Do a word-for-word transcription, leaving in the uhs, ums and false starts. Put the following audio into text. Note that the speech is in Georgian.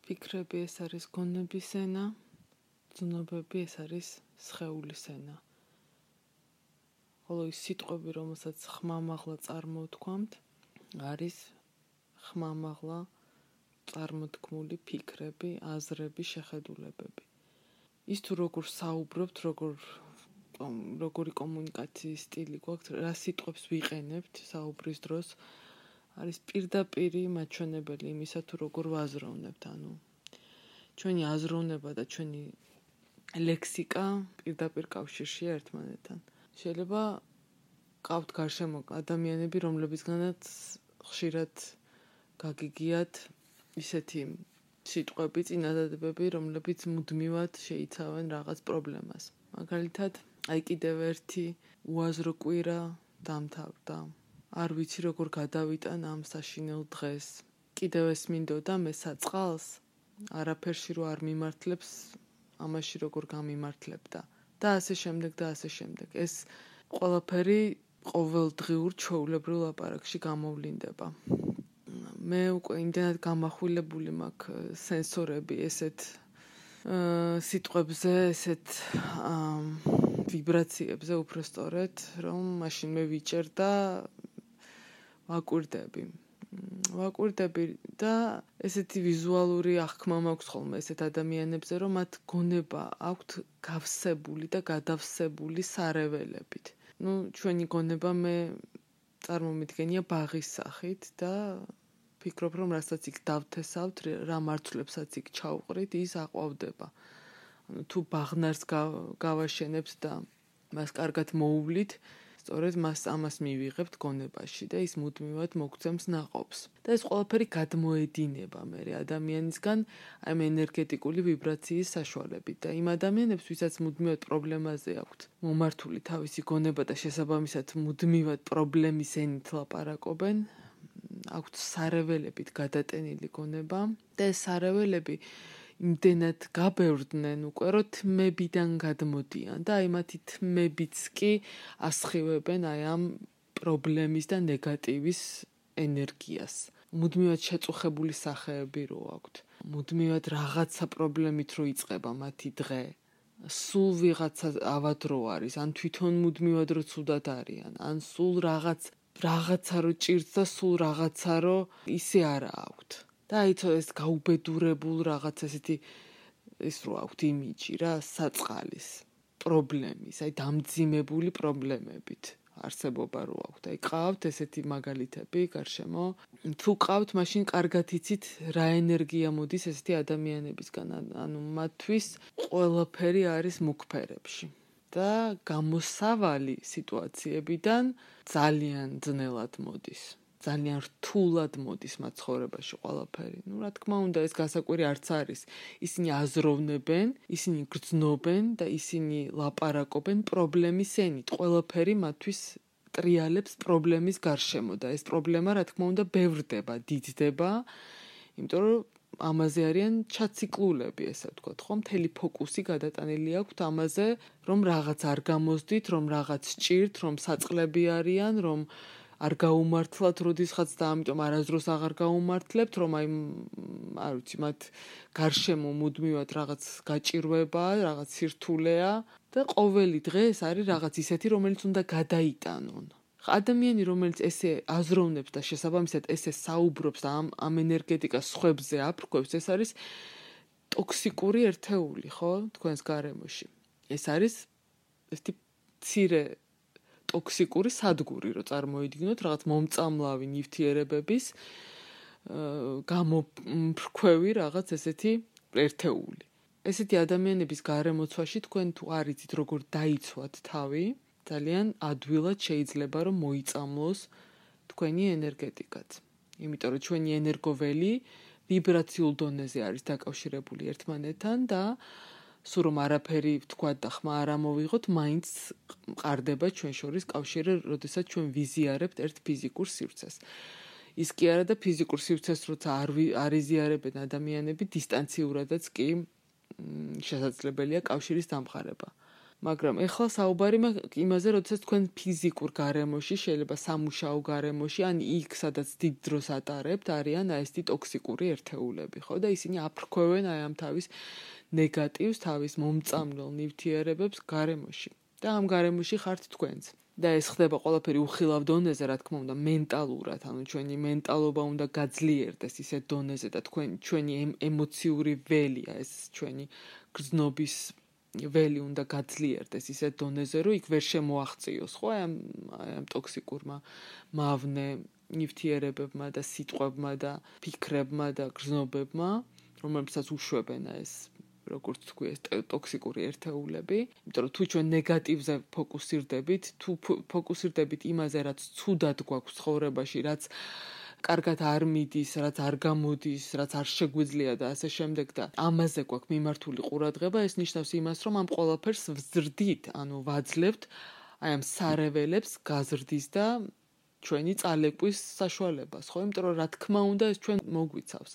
ფიქრები ეს არის გონების ენა, ზნობები ეს არის სხეულის ენა. ხოლო ის სიტყვები, რომელსაც ხმამაღლა წარმოვთქვამთ, არის ხმამაღლა წარმოთქმული ფიქრები, აზრები, შეხედულებები. ის თუ როგორ საუბრობთ, როგორ როგორი კომუნიკაციის სტილი გვაქვს, რა სიტყვებს ვიყენებთ საუბრის დროს, არის პირდაპირი მაჩვენებელი იმისა, თუ როგორ ვაზროვნებთ. ანუ ჩვენი აზროვნება და ჩვენი ლექსიკა პირდაპირ კავშირშია ერთმანეთთან. შეიძლება ყავთ გარშემო ადამიანები, რომლებისგანაც ხშირად გაგიგიათ ისეთი სიტყვები, წინადადებები, რომლებიც მუდმივად შეიცავენ რაღაც პრობლემას. მაგალითად, აი კიდევ ერთი უაზრო კვირა დამთავრდა. არ ვიცი როგორ გადავიტან ამ საშინელ დღეს. კიდევ ეს მინდოდა მე საწყალს, არაფერში რო არ მიმართლებს, ამაში როგორ გამიმართლებდა. და ასე შემდეგ და ასე შემდეგ. ეს ყველაფერი ყოველდღიურ ჩვეულებრივ ლაპარაკში გამოვლინდება. მე უკვე იმდენად გამახვილებული მაქვს სენსორები ესეთ სიტყვებზე, ესეთ ვიბრაციებზე უბრალოდ, რომ მაშინ მე ვიჭერ და ვაკვირდები. ვაკვირდები და ესეთი ვიზუალური აღქმა მაქვს ხოლმე ესეთ ადამიანებზე, რომ მათ გონება აქვთ გავსებული და გადავსებული სარეველებით. ნუ ჩვენი გონება მე წარმომიდგენია ბაღის სახით და ფიქრობ, რომ რასაც იქ დავთესავთ, რა მარცვლებსაც იქ ჩავყრით, ის აყვავდება. ანუ თუ ბაღნარს გავაშენებთ და მას კარგად მოუვლით, სწორედ მას ამას მივიღებთ გონებაში და ის მუდმივად მოგცემს ნაყოფს. და ეს ყველაფერი გადმოედინება მე ადამიანისგან ამ ენერგეტიკული ვიბრაციის საშუალებით და იმ ადამიანებს, ვისაც მუდმივად პრობლემაზე აქვთ მომართული თავისი გონება და შესაბამისად მუდმივად პრობლემის ენით ლაპარაკობენ, აქვთ სარეველებით გადატენილი გონება და ეს სარეველები იმდენად გაბევრდნენ უკვე, რომ თმებიდან გადმოდიან და აი მათი თმებიც კი ასხივებენ აი ამ პრობლემის და ნეგატივის ენერგიას. მუდმივად შეწუხებული სახეები რო აქვთ. მუდმივად რაღაცა პრობლემით რო იწყება მათი დღე. სულ ვიღაცა ავად რო არის, ან თვითონ მუდმივად რო ცუდად არიან, ან სულ რაღაც რაღაცა რო ჭირს და სულ რაღაცა რო ისე არა აქვთ. და აი ეს გაუბედურებულ რაღაც ესეთი ის რო აქვთ იმიჯი რა, საწყალის, პრობლემის, აი დამძიმებული პრობლემებით არსებობა რო აქვთ. აი ყავთ ესეთი მაგალითები გარშემო. თუ ყავთ, მაშინ კარგად იცით რა ენერგია მოდის ესეთი ადამიანებისგან. ანუ მათთვის ყველაფერი არის მუქფერებში. და გამოსავალი სიტუაციებიდან ძალიან ძნელად მოდის. ძალიან რთულად მოდის მათ ცხოვრებაში ყველაფერი. ნუ რა თქმა უნდა, ეს გასაკვირი არც არის. ისინი აზროვნებენ, ისინი გრძნობენ და ისინი ლაპარაკობენ პრობლემის ენით. ყველაფერი მათთვის ტრიალებს პრობლემის გარშემო და ეს პრობლემა რა თქმა უნდა ბევრდება, დიდდება, იმიტომ რომ ამაზე არიან ჩაციკლულები, ესე ვთქვათ, ხო? მთელი ფოკუსი გადატანილი აქვთ ამაზე, რომ რაღაც არ გამოსდით, რომ რაღაც ჭირთ, რომ საწყლები არიან, რომ არ გაუმართლათ როდისღაც და ამიტომ არასდროს აღარ გაუმართლებთ, რომ აი არ ვიცი, მათ გარშემო მუდმივად რაღაც გაჭირვება, რაღაც სირთულეა და ყოველი დღე ეს არის რაღაც ისეთი, რომელიც უნდა გადაიტანონ. ადამიანი, რომელიც ესე აზროვნებს და შესაბამისად ესე საუბრობს და ამ ამ ენერგეტიკას სხვებზე აფრქვევს, ეს არის ტოქსიკური ერთეული, ხო, თქვენს გარემოში. ეს არის ესეთი მცირე ტოქსიკური სადგური, რო წარმოიდგინოთ, რაღაც მომწამლავი ნივთიერებების გამოფრქვევი რაღაც ესეთი ერთეული. ესეთი ადამიანების გარემოცვაში თქვენ თუ არ იცით როგორ დაიცვათ თავი, ძალიან ადვილად შეიძლება რომ მოიწამლოს თქვენი ენერგეტიკაც. იმიტომ რომ ჩვენი ენერგოველი ვიბრაციულ დონეზე არის დაკავშირებული ერთმანეთთან და სულ რომ არაფერი ვთქვათ და ხმა არ ამოვიღოთ, მაინც მყარდება ჩვენ შორის კავშირი, როდესაც ჩვენ ვიზიარებთ ერთ ფიზიკურ სივრცეს. ის კი არა და ფიზიკურ სივრცეს როცა არ არ იზიარებენ ადამიანები, დისტანციურადაც კი შესაძლებელია კავშირის დამყარება. მაგრამ ეხლა საუბარი მაქვს იმაზე, როდესაც თქვენ ფიზიკურ გარემოში, შეიძლება სამუშაო გარემოში, ან იქ, სადაც დიდ დროს ატარებთ, არიან აი ესეთი ტოქსიკური ერთეულები, ხო? და ისინი აფრქვევენ აი ამ თავის ნეგატივს, თავის მომწამლელ ნივთიერებებს გარემოში. და ამ გარემოში ხართ თქვენც. და ეს ხდება ყველაფერი უხილავ დონეზე, რა თქმა უნდა, მენტალურად, ანუ ჩვენი მენტალობა უნდა გაძლიერდეს ისეთ დონეზე და თქვენ ჩვენი ემოციური ველია, ეს ჩვენი გრძნობის ველი უნდა გაძლიერდეს ისეთ დონეზე, რომ იქ ვერ შემოაღწიოს, ხო, აი ამ ამ ტოქსიკურმა მავნე ნივთიერებებმა და სიტყვებმა და ფიქრებმა და გრძნობებმა, რომლებსაც უშვებენ ეს როგორც თქვი ეს ტოქსიკური ერთეულები, იმიტომ რომ თუ ჩვენ ნეგატივზე ფოკუსირდებით, თუ ფოკუსირდებით იმაზე, რაც ცუდად გვაქვს ცხოვრებაში, რაც კარგად არ მიდის, რაც არ გამოდის, რაც არ შეგვიძლია და ასე შემდეგ და ამაზე გვაქვს მიმართული ყურადღება, ეს ნიშნავს იმას, რომ ამ ყველაფერს ვზრდით, ანუ ვაძლევთ აი ამ სარეველებს გაზრდის და ჩვენი წალეკვის საშუალებას, ხო? იმიტომ რომ რა თქმა უნდა ეს ჩვენ მოგვიცავს.